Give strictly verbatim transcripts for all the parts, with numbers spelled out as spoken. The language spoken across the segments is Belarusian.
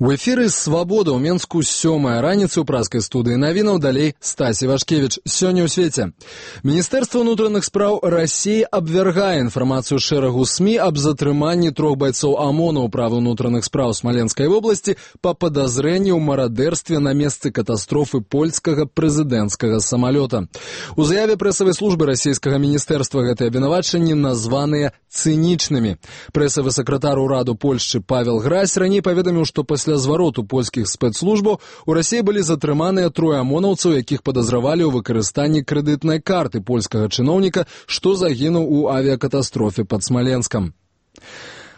У эфіры «Свабода» ў Менску сёмая раніцы ў праскай студыі навінаў, далей Стасі Вашкевіч. Сёння ў свеце. Міністэрства ўнутраных спраў Расіі абвяргае інфармацыю шэрагу СМІ аб затрыманні трох байцоў ОМОНа ў правы ўнутраных спраў Смаленскай вобласці па падазрэнні ў марадэрстве на месцы катастрофы польскага прэзідэнцкага самалёта. У заяве прэсавай службы расійскага міністэрства гэтыя абвінавачанні названыя цынічнымі. Прэсавы сакратар ураду Польшчы Павел Гразь раней паведаміў, што пасля Пасля звароту польскіх спецслужбаў у Расіі былі затрыманыя трое амонаўцаў, якіх падазравалі ў выкарыстанні крэдытнай карты польскага чыноўніка, што загінуў у авіякатастрофе пад Смаленскам.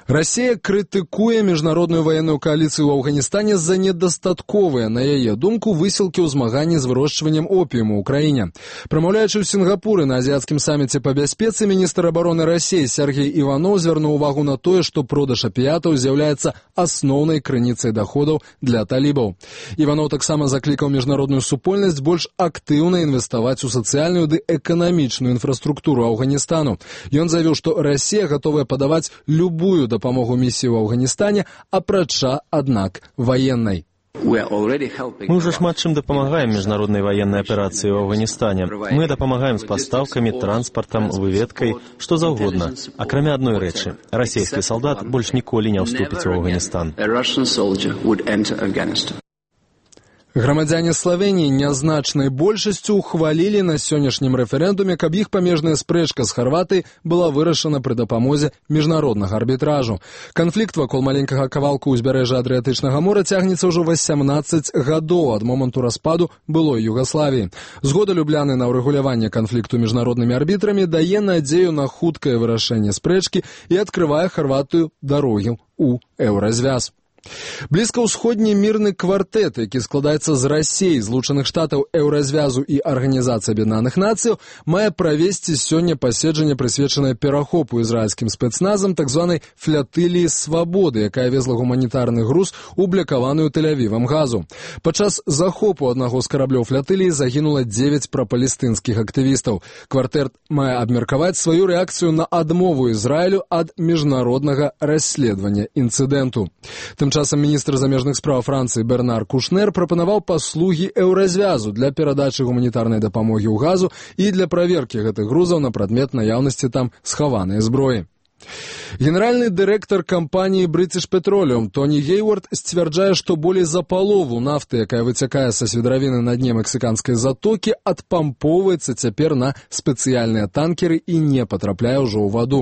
Расія крытыкуе міжнародную ваенную кааліцыю ў Афганістане за недастатковыя, на яе думку, высілкі ў змаганні з вырошчваннем опіуму ў краіне. Прамаўляючы ў Сінгапуры на азіяцкім саміце па бяспецы, міністр абароны Расіі Сергей Іванов звярнуў увагу на тое, што продаж апіятаў з'яўляецца асноўнай крыніцай даходаў для талібаў. Іванов таксама заклікаў міжнародную супольнасць больш актыўна інвеставаць у сацыяльную ды эканамічную інфраструктуру Афганістану. Ён заявіў, што Расія гатовая падаваць любую дапамогу місіі ў Афганістане, апрача, аднак, ваеннай. Мы уже шмат чым дапамагаем міжнароднай ваеннай аперацыі ў Афганістане. Мы дапамагаем з пастаўкамі, транспартам, выведкай, што заўгодна. Акрамя адной рэчы, расійскі салдат больш ніколі не ўступіць у Афганістан. Грамадзяне Славеніі нязначнай большасцю ухвалілі на сённяшнім рэферэндуме, каб іх памежная спрэчка з Харватыяй была вырашана пры дапамозе міжнароднага арбітражу. Канфлікт вакол маленькага кавалку ўзбярэжжа Адрыятычнага мора цягнецца ўжо васямнаццаць гадоў ад моманту распаду былой Югаславіі. Згода Любляны на ўрэгуляванне канфлікту міжнароднымі арбітрамі дае надзею на хуткае вырашэнне спрэчкі і адкрывае Харватыю дарогі ў еўразвяз. Блізкаўсходні мірны квартэт, які складаецца з Расіі, Злучаных Штатаў, еўразвязу і Арганізацыі Аб'яднаных Нацыяў, мае правесці сёння паседжанне, прысвечанае перахопу ізраільскім спецназам так званай флятыліі свабоды, якая везла гуманітарны груз у блякаваную Тель-Авівам газу. Падчас захопу аднаго з караблёў флятыліі загінула дзевяць прапалестынскіх актывістаў. Квартэт мае абмеркаваць сваю рэакцыю на адмову Ізраілю ад міжнароднага расследавання інцыдэнту. Тым часам міністр замежных спраў Францыі Бернар Кушнер прапанаваў паслугі еўразвязу для перадачы гуманітарнай дапамогі ў газу і для праверкі гэтых грузаў на прадмет наяўнасці там схаванай зброі. Генеральны дырэктар кампаніі British Petroleum Тоні Гейвард сцвярджае, што болей за палову нафты, якая выцякае са свідравіны на дне мексіканскай затокі, адпампоўваецца цяпер на спецыяльныя танкеры і не патрапляе ўжо ў ваду.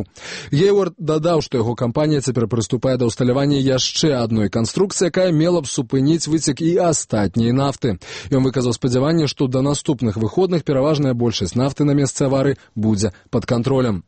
Гейвард дадаў, што яго кампанія цяпер прыступае да ўсталявання яшчэ адной канструкцыі, якая мела б супыніць выцек і астатняй нафты. Ён выказаў спадзяванне, што да наступных выходных пераважная большасць нафты на месцы аварыі будзе пад кантролем.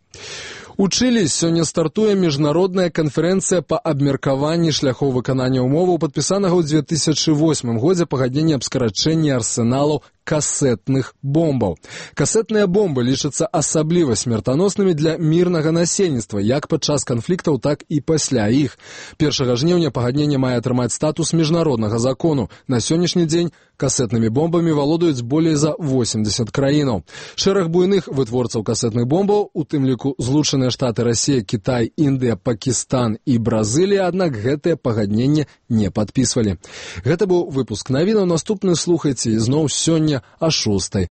У Чылі сёння стартуе міжнародная канферэнцыя па абмеркаванні шляхоў выканання ўмоваў, падпісанага ў дзве тысячы восьмым годзе пагаднення аб скарачэнні арсеналаў касетных бомбаў. Касетныя бомбы лічацца асабліва смертаноснымі для мірнага насельніцтва, як падчас канфліктаў, так і пасля іх. Першага жніўня пагадненне мае атрымаць статус міжнароднага закону. На сённяшні дзень касетнымі бомбамі валодаюць болей за восемдзесят краінаў. Шэраг буйных вытворцаў касетных бомбаў, у тым ліку Злучаныя Штаты, Расія, Кітай, Індыя, Пакістан і Бразылія, аднак гэтае пагадненне не падпісвалі. Гэта быў выпуск навінаў. Наступны слухайце ізноў сёння а шостай